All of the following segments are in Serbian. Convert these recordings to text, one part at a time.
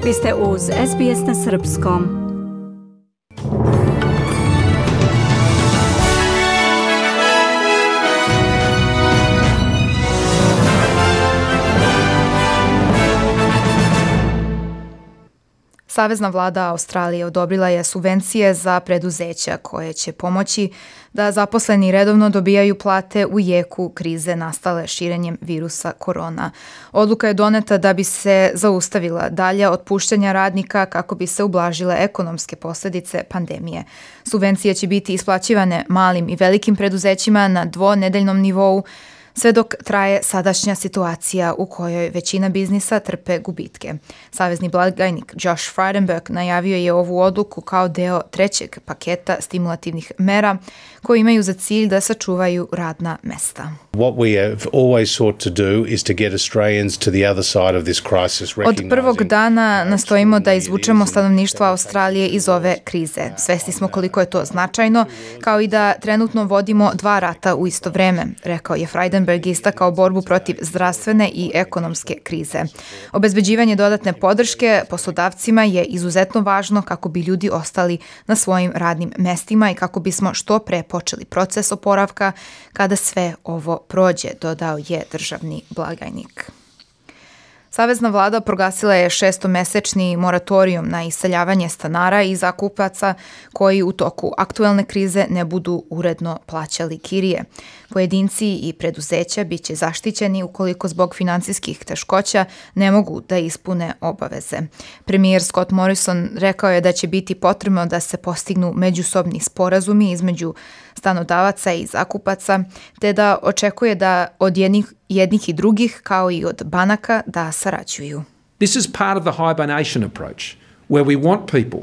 Vi ste uz SBS na Srpskom. Savezna vlada Australije odobrila je subvencije za preduzeća koje će pomoći da zaposleni redovno dobijaju plate u jeku krize nastale širenjem virusa korona. Odluka je doneta da bi se zaustavila dalja otpuštanja radnika kako bi se ublažile ekonomske posljedice pandemije. Subvencije će biti isplaćivane malim i velikim preduzećima na dvonedeljnom nivou, sve dok traje sadašnja situacija u kojoj većina biznisa trpe gubitke. Savezni blagajnik Josh Frydenberg najavio je ovu odluku kao deo trećeg paketa stimulativnih mera koji imaju za cilj da sačuvaju radna mesta. Od prvog dana nastojimo da izvučemo stanovništvo Australije iz ove krize. Svesni smo koliko je to značajno, kao i da trenutno vodimo dva rata u isto vreme, rekao je Frydenberg, istakao borbu protiv zdravstvene i ekonomske krize. Obezbeđivanje dodatne podrške poslodavcima je izuzetno važno kako bi ljudi ostali na svojim radnim mestima i kako bismo što pre počeli proces oporavka kada sve ovo prođe, dodao je državni blagajnik. Savezna vlada proglasila je 6-mesečni moratorijum na iseljavanje stanara i zakupaca koji u toku aktuelne krize ne budu uredno plaćali kirije. Pojedinci i preduzeća bit će zaštićeni ukoliko zbog finansijskih teškoća ne mogu da ispune obaveze. Premijer Scott Morrison rekao je da će biti potrebno da se postignu međusobni sporazumi između stanodavaca i zakupaca, te da očekuje da od jednih i drugih, kao i od banaka, da sarađuju. This is part of the hibernation approach, where we want people.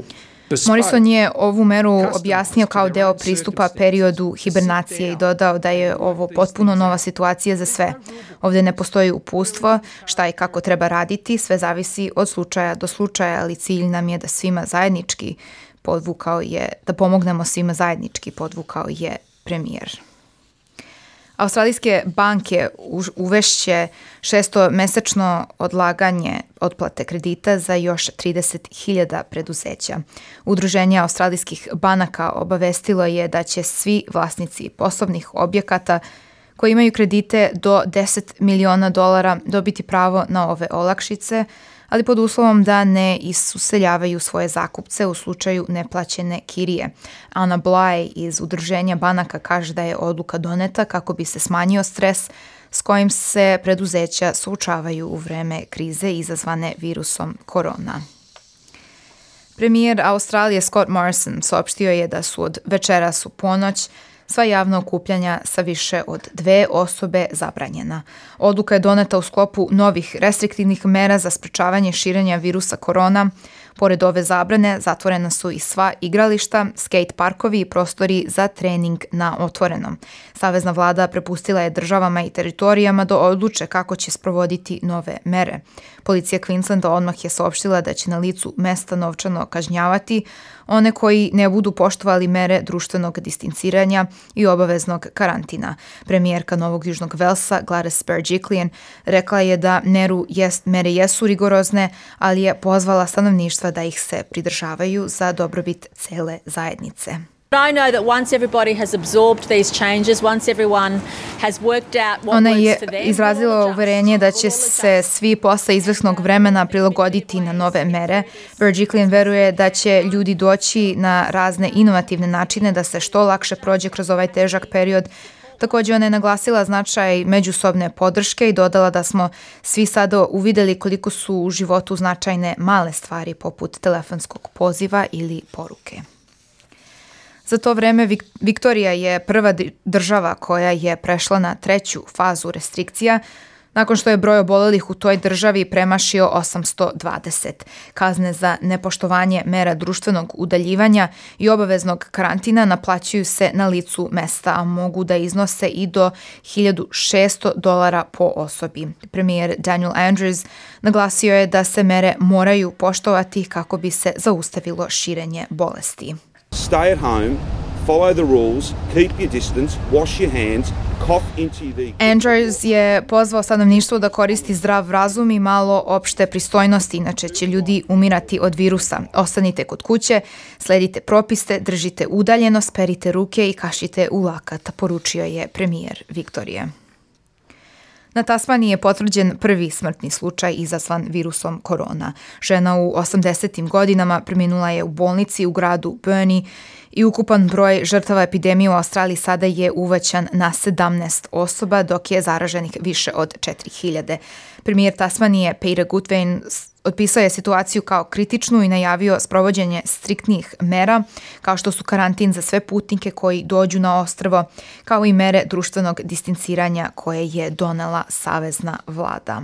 Morrison je ovu meru objasnio kao deo pristupa periodu hibernacije i dodao da je ovo potpuno nova situacija za sve. Ovdje ne postoji uputstvo šta i kako treba raditi, sve zavisi od slučaja do slučaja, ali cilj nam je da svima zajednički da pomognemo svima zajednički, podvukao je premijer. Australijske banke uvešće 6-mesečno odlaganje otplate kredita za još 30.000 preduzeća. Udruženje australijskih banaka obavestilo je da će svi vlasnici poslovnih objekata koji imaju kredite do $10 miliona dobiti pravo na ove olakšice, ali pod uslovom da ne isuseljavaju svoje zakupce u slučaju neplaćene kirije. Anna Bly iz Udruženja banaka kaže da je odluka doneta kako bi se smanjio stres s kojim se preduzeća suočavaju u vreme krize izazvane virusom korona. Premijer Australije Scott Morrison saopštio je da su od večeras u ponoć sva javna okupljanja sa više od 2 osobe zabranjena. Odluka je doneta u sklopu novih restriktivnih mera za sprečavanje širenja virusa korona. Pored ove zabrane, zatvorena su i sva igrališta, skate parkovi i prostori za trening na otvorenom. Savezna vlada prepustila je državama i teritorijama da odluče kako će sprovoditi nove mere. Policija Queenslanda odmah je saopštila da će na licu mesta novčano kažnjavati one koji ne budu poštovali mere društvenog distanciranja i obaveznog karantina. Premijerka Novog Južnog Velsa Gladys Berejiklian rekla je da mere jesu rigorozne, ali je pozvala stanovništva da ih se pridržavaju za dobrobit cele zajednice. Ona je izrazila uverenje da će se svi posle izvesnog vremena prilagoditi na nove mere. Berejiklian veruje da će ljudi doći na razne inovativne načine da se što lakše prođe kroz ovaj težak period. Također ona je naglasila značaj međusobne podrške i dodala da smo svi sada uvidjeli koliko su u životu značajne male stvari poput telefonskog poziva ili poruke. Za to vreme Viktorija je prva država koja je prešla na 3. fazu restrikcija, nakon što je broj obolelih u toj državi premašio 820. Kazne za nepoštovanje mera društvenog udaljivanja i obaveznog karantina naplaćuju se na licu mesta, a mogu da iznose i do $1.600 po osobi. Premijer Daniel Andrews naglasio je da se mere moraju poštovati kako bi se zaustavilo širenje bolesti. Stay at home, follow the rules, keep your distance, wash your hands Andrews je pozvao stanovništvo da koristi zdrav razum i malo opšte pristojnosti, inače će ljudi umirati od virusa. Ostanite kod kuće, sledite propiste, držite udaljenost, perite ruke i kašite u lakat, poručio je premijer Viktorije. Na Tasmaniji je potvrđen prvi smrtni slučaj izazvan virusom korona. Žena u 80. godinama preminula je u bolnici u gradu Burnie i ukupan broj žrtava epidemije u Australiji sada je uvećan na 17 osoba, dok je zaraženih više od 4000. Premijer Tasmanije Peter Gutwein otpisao je situaciju kao kritičnu i najavio sprovođenje striktnih mera, kao što su karantin za sve putnike koji dođu na ostrvo, kao i mere društvenog distanciranja koje je donela savezna vlada.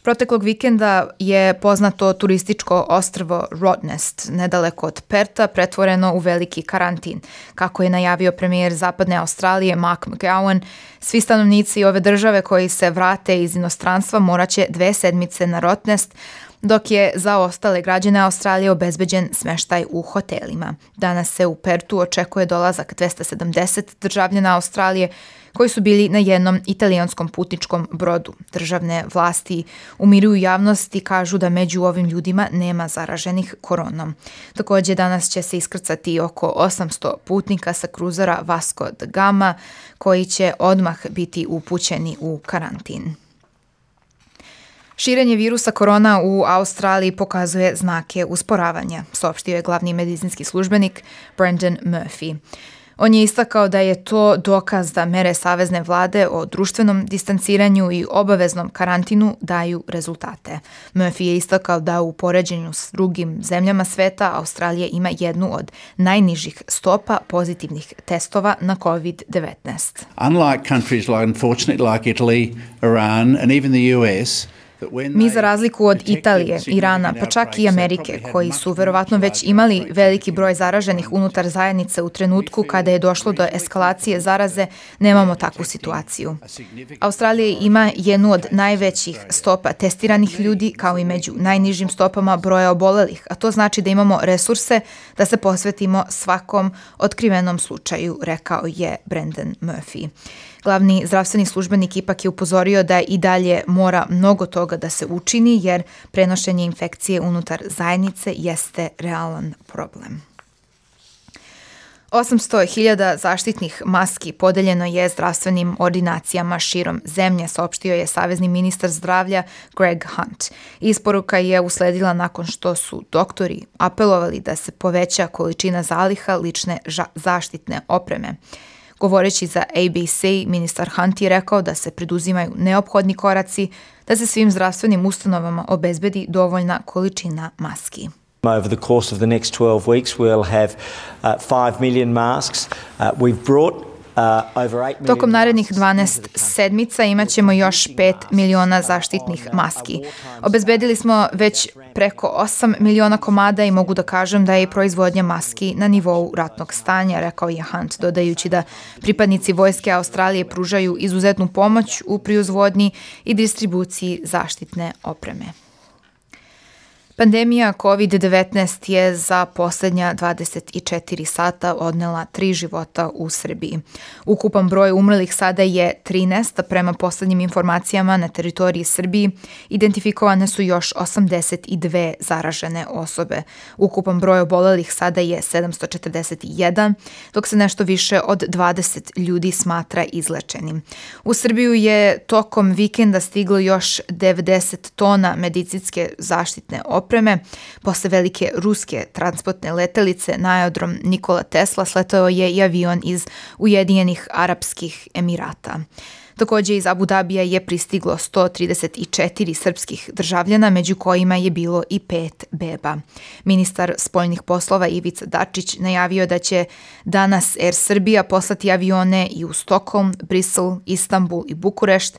Proteklog vikenda je poznato turističko ostrvo Rottnest, nedaleko od Perta, pretvoreno u veliki karantin. Kako je najavio premijer Zapadne Australije Mark McGowan, svi stanovnici ove države koji se vrate iz inostranstva moraće 2 sedmice na Rottnest, dok je za ostale građane Australije obezbeđen smeštaj u hotelima. Danas se u Pertu očekuje dolazak 270 državljana Australije koji su bili na jednom italijanskom putničkom brodu. Državne vlasti umiruju javnost i kažu da među ovim ljudima nema zaraženih koronom. Također danas će se iskrcati oko 800 putnika sa kruzera Vasco da Gama koji će odmah biti upućeni u karantin. Širenje virusa korona u Australiji pokazuje znake usporavanja, saopštio je glavni medicinski službenik Brendan Murphy. On je istakao da je to dokaz da mere savezne vlade o društvenom distanciranju i obaveznom karantinu daju rezultate. Murphy je istakao da u poređenju s drugim zemljama sveta Australija ima jednu od najnižih stopa pozitivnih testova na COVID-19. Unlike countries unfortunately like Italy, Iran and even the US, mi za razliku od Italije, Irana, pa čak i Amerike, koji su verovatno već imali veliki broj zaraženih unutar zajednice u trenutku kada je došlo do eskalacije zaraze, nemamo takvu situaciju. Australija ima jednu od najvećih stopa testiranih ljudi, kao i među najnižim stopama broja obolelih, a to znači da imamo resurse da se posvetimo svakom otkrivenom slučaju, rekao je Brendan Murphy. Glavni zdravstveni službenik ipak je upozorio da i dalje mora mnogo toga da se učini jer prenošenje infekcije unutar zajednice jeste realan problem. 800.000 zaštitnih maski podeljeno je zdravstvenim ordinacijama širom zemlje, saopštio je savezni ministar zdravlja Greg Hunt. Isporuka je usledila nakon što su doktori apelovali da se poveća količina zaliha lične zaštitne opreme. Govoreći za ABC, ministar Hunt je rekao da se preduzimaju neophodni koraci da se svim zdravstvenim ustanovama obezbedi dovoljna količina maski. Over the course of the next 12 weeks we'll have 5 million masks. We've brought Tokom narednih 12 sedmica imat ćemo još 5 miliona zaštitnih maski. Obezbedili smo već preko 8 miliona komada i mogu da kažem da je proizvodnja maski na nivou ratnog stanja, rekao je Hunt, dodajući da pripadnici vojske Australije pružaju izuzetnu pomoć u proizvodnji i distribuciji zaštitne opreme. Pandemija COVID-19 je za posljednja 24 sata odnela 3 života u Srbiji. Ukupan broj umrlih sada je 13, a prema posljednjim informacijama na teritoriji Srbiji identifikovane su još 82 zaražene osobe. Ukupan broj obolelih sada je 741, dok se nešto više od 20 ljudi smatra izlečenim. U Srbiju je tokom vikenda stiglo još 90 tona medicinske zaštitne opreme. Posle velike ruske transportne letelice na aerodrom Nikola Tesla sletao je i avion iz Ujedinjenih Arapskih Emirata. Također iz Abu Dabija je pristiglo 134 srpskih državljana, među kojima je bilo i 5 beba. Ministar spoljnih poslova Ivica Dačić najavio da će danas Air Srbija poslati avione i u Stokholm, Brisel, Istanbul i Bukurešt,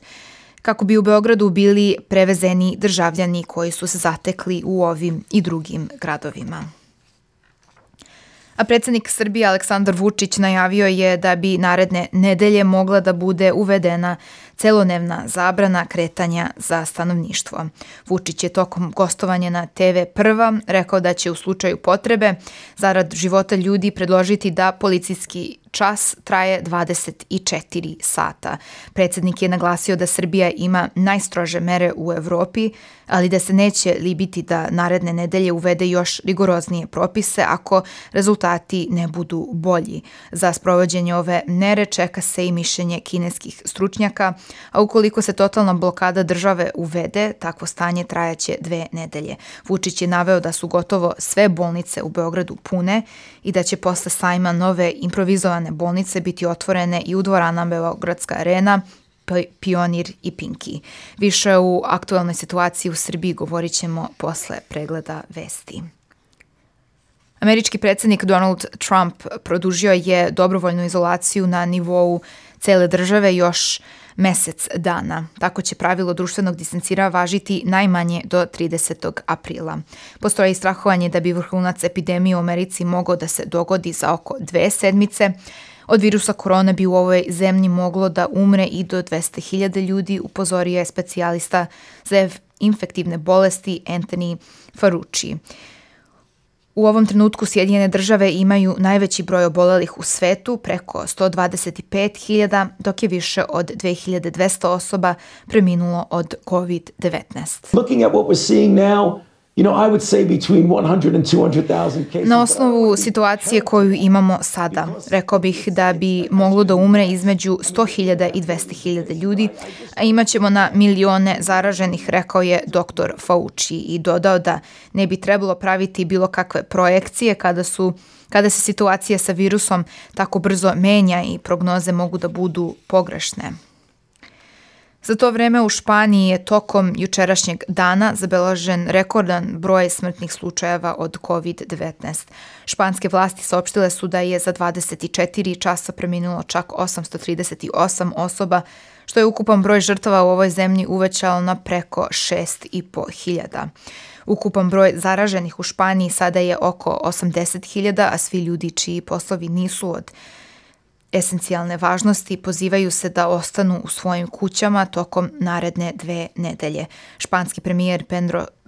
kako bi u Beogradu bili prevezeni državljani koji su se zatekli u ovim i drugim gradovima. A predsjednik Srbije Aleksandar Vučić najavio je da bi naredne nedelje mogla da bude uvedena celodnevna zabrana kretanja za stanovništvo. Vučić je tokom gostovanja na TV Prva rekao da će u slučaju potrebe zarad života ljudi predložiti da policijski čas traje 24 sata. Predsjednik je naglasio da Srbija ima najstrože mere u Evropi, ali da se neće libiti da naredne nedelje uvede još rigoroznije propise ako rezultati ne budu bolji. Za sprovođenje ove mere čeka se i mišljenje kineskih stručnjaka, a ukoliko se totalna blokada države uvede, takvo stanje trajaće 2 nedelje. Vučić je naveo da su gotovo sve bolnice u Beogradu pune i da će posle sajma nove improvizovane bolnice biti otvorene i u dvoranama Beogradska arena, Pionir i Pinki. Više u aktualnoj situaciji u Srbiji govorit ćemo posle pregleda vesti. Američki predsjednik Donald Trump produžio je dobrovoljnu izolaciju na nivou cele države još mesec dana. Tako će pravilo društvenog distancira važiti najmanje do 30. aprila. Postoji strahovanje da bi vrhunac epidemije u Americi mogao da se dogodi za oko 2 sedmice. Od virusa korona bi u ovoj zemlji moglo da umre i do 200.000 ljudi, upozorio je specijalista za infektivne bolesti Anthony Fauci. U ovom trenutku Sjedinjene države imaju najveći broj obolelih u svetu, preko 125.000, dok je više od 2.200 osoba preminulo od COVID-19. Looking at what we're seeing now, I would say between 100 and 200,000 cases. Na osnovu situacije koju imamo sada, rekao bih da bi moglo da umre između 100.000 i 200.000 ljudi, a imaćemo na milione zaraženih, rekao je dr. Fauci i dodao da ne bi trebalo praviti bilo kakve projekcije kada se situacija sa virusom tako brzo menja i prognoze mogu da budu pogrešne. Za to vreme u Španiji je tokom jučerašnjeg dana zabeležen rekordan broj smrtnih slučajeva od COVID-19. Španske vlasti saopštile su da je za 24 časa preminulo čak 838 osoba, što je ukupan broj žrtava u ovoj zemlji uvećao na preko 6.500. Ukupan broj zaraženih u Španiji sada je oko 80.000, a svi ljudi čiji poslovi nisu od esencijalne važnosti pozivaju se da ostanu u svojim kućama tokom naredne 2 nedelje. Španski premijer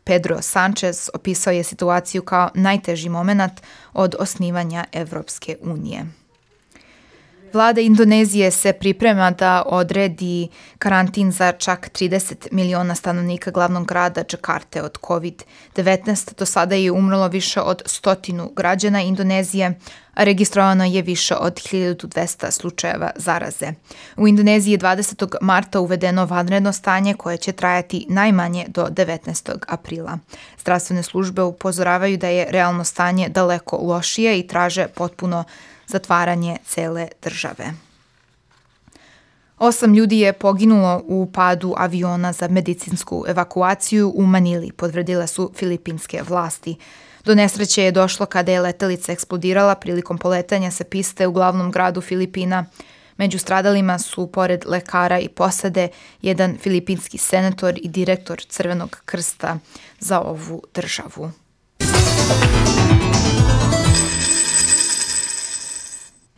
Pedro Sanchez opisao je situaciju kao najteži moment od osnivanja Evropske unije. Vlada Indonezije se priprema da odredi karantin za čak 30 miliona stanovnika glavnog grada Džakarte od COVID-19. Do sada je umrlo više od 100 građana Indonezije, a registrovano je više od 1200 slučajeva zaraze. U Indoneziji je 20. marta uvedeno vanredno stanje koje će trajati najmanje do 19. aprila. Zdravstvene službe upozoravaju da je realno stanje daleko lošije i traže potpuno zatvaranje cele države. 8 ljudi je poginulo u padu aviona za medicinsku evakuaciju u Manili, potvrdile su filipinske vlasti. Do nesreće je došlo kada je letelica eksplodirala prilikom poletanja sa piste u glavnom gradu Filipina. Među stradalima su, pored lekara i posade, jedan filipinski senator i direktor Crvenog krsta za ovu državu.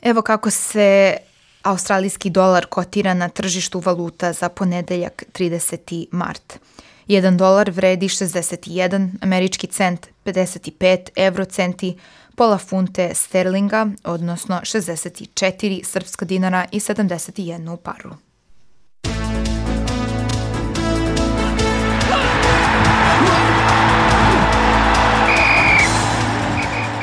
Evo kako se australijski dolar kotira na tržištu valuta za ponedeljak 30. mart. 1 dolar vredi 61 američki cent, 55 eurocenti, pola funte sterlinga, odnosno 64 srpska dinara i 71 paru.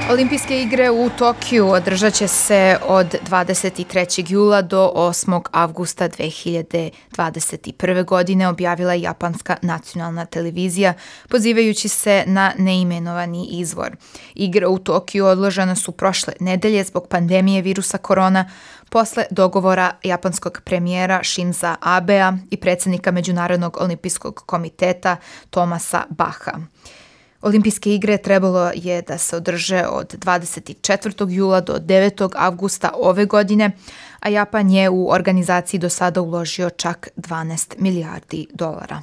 Olimpijske igre u Tokiju održat će se od 23. jula do 8. avgusta 2021. godine, objavila japanska nacionalna televizija, pozivajući se na neimenovani izvor. Igre u Tokiju odložene su prošle nedelje zbog pandemije virusa korona, posle dogovora japanskog premijera Shinza Abea i predsjednika Međunarodnog olimpijskog komiteta Thomasa Bacha. Olimpijske igre trebalo je da se održe od 24. jula do 9. avgusta ove godine, a Japan je u organizaciji do sada uložio čak 12 milijardi dolara.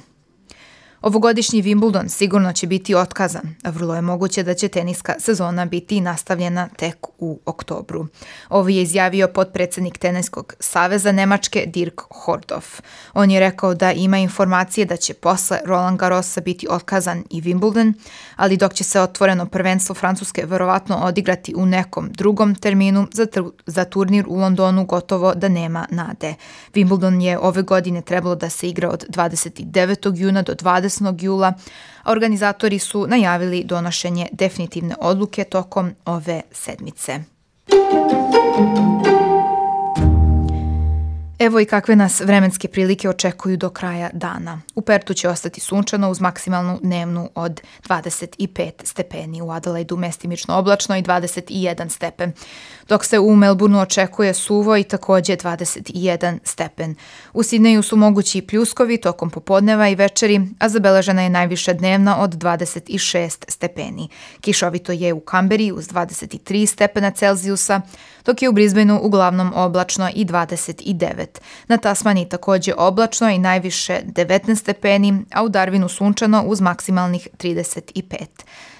Ovogodišnji Wimbledon sigurno će biti otkazan, a vrlo je moguće da će teniska sezona biti nastavljena tek u oktobru. Ovo je izjavio potpredsjednik Teniskog saveza Nemačke Dirk Hordorf. On je rekao da ima informacije da će posle Roland Garrosa biti otkazan i Wimbledon, ali dok će se otvoreno prvenstvo Francuske verovatno odigrati u nekom drugom terminu, za turnir u Londonu gotovo da nema nade. Wimbledon je ove godine trebalo da se igra od 29. juna do 20. jula, a organizatori su najavili donošenje definitivne odluke tokom ove sedmice. Evo i kakve nas vremenske prilike očekuju do kraja dana. U Pertu će ostati sunčano uz maksimalnu dnevnu od 25 stepeni, u Adelaidu mestimično oblačno i 21 stepen, dok se u Melbourneu očekuje suvo i takođe 21 stepen. U Sidneju su mogući pljuskovi tokom popodneva i večeri, a zabeležena je najviša dnevna od 26 stepeni. Kišovito je u Kamberi uz 23 stepena Celzijusa, dok je u Brisbaneu uglavnom oblačno i 29. Na Tasmaniji takođe oblačno i najviše 19 stepeni, a u Darwinu sunčano uz maksimalnih 35.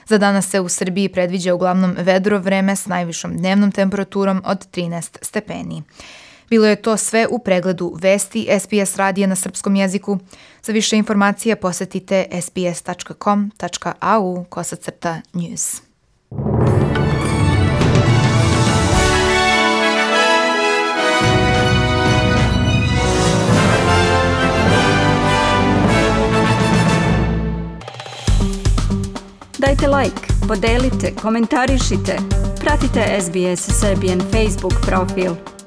Za danas se u Srbiji predviđa uglavnom vedro vreme s najvišom dnevnom temperaturom od 13 stepeni. Bilo je to sve u pregledu vesti SBS radija na srpskom jeziku. Za više informacija posetite sbs.com.au/news. Dajte like, podelite, komentarišite. Pratite SBS Serbian Facebook profil.